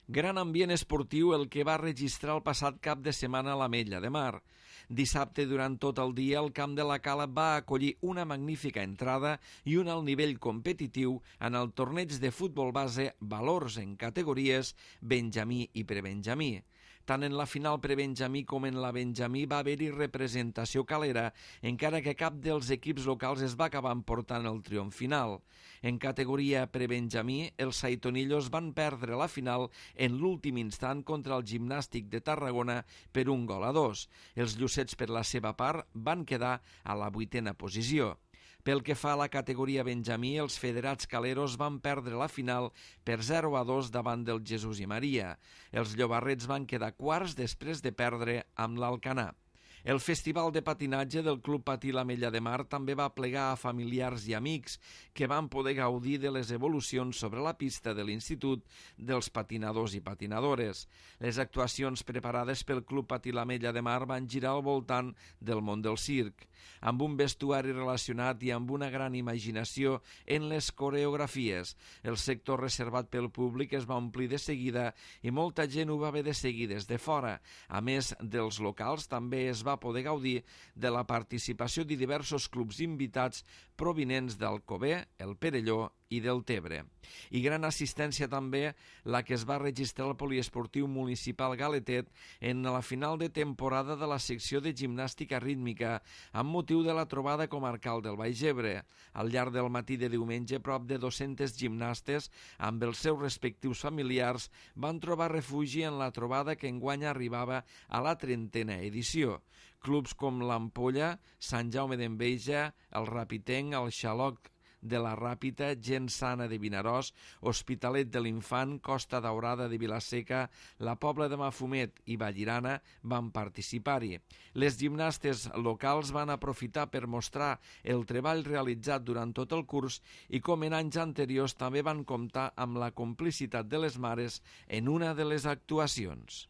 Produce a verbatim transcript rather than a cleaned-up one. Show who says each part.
Speaker 1: Gran ambient esportiu el que va registrar el passat cap de setmana a l'Ametlla de Mar. Dissabte, durant tot el dia, el camp de la Cala va acollir una magnífica entrada i un alt nivell competitiu en el torneig de futbol base Valors en categories Benjamí i Prebenjamí. Tant en la final prebenjamí com en la benjamí va haver-hi representació calera, encara que cap dels equips locals es va acabar emportant el triomf final. En categoria prebenjamí, els saitonillos van perdre la final en l'últim instant contra el Gimnàstic de Tarragona per un gol a dos. Els llucets, per la seva part, van quedar a la vuitena posició. Pel que fa a la categoria benjamí, els federats caleros van perdre la final per zero a dos davant del Jesús i Maria. Els llobarrets van quedar quarts després de perdre amb l'Alcanar. El Festival de Patinatge del Club Patí l'Ametlla de Mar també va plegar a familiars i amics que van poder gaudir de les evolucions sobre la pista de l'Institut dels patinadors i patinadores. Les actuacions preparades pel Club Patí l'Ametlla de Mar van girar al voltant del món del circ, amb un vestuari relacionat i amb una gran imaginació en les coreografies. El sector reservat pel públic es va omplir de seguida i molta gent ho va haver de seguir des de fora. A més dels locals, també es va va poder gaudir de la participació de diversos clubs invitats provinents d'Alcover, el Perelló i del Tebre. I gran assistència també la que es va registrar al poliesportiu municipal Galetet en la final de temporada de la secció de gimnàstica rítmica amb motiu de la trobada comarcal del Baix Ebre. Al llarg del matí de diumenge, prop de dos-centes gimnastes amb els seus respectius familiars van trobar refugi en la trobada que enguany arribava a la trentena edició. Clubs com l'Ampolla, Sant Jaume d'Enveja, el Rapitenc, el Xaloc de la Ràpita, Gent Sana de Vinaròs, Hospitalet de l'Infant, Costa Daurada de Vilaseca, la Pobla de Mafumet i Vallirana van participar-hi. Les gimnastes locals van aprofitar per mostrar el treball realitzat durant tot el curs i, com en anys anteriors, també van comptar amb la complicitat de les mares en una de les actuacions.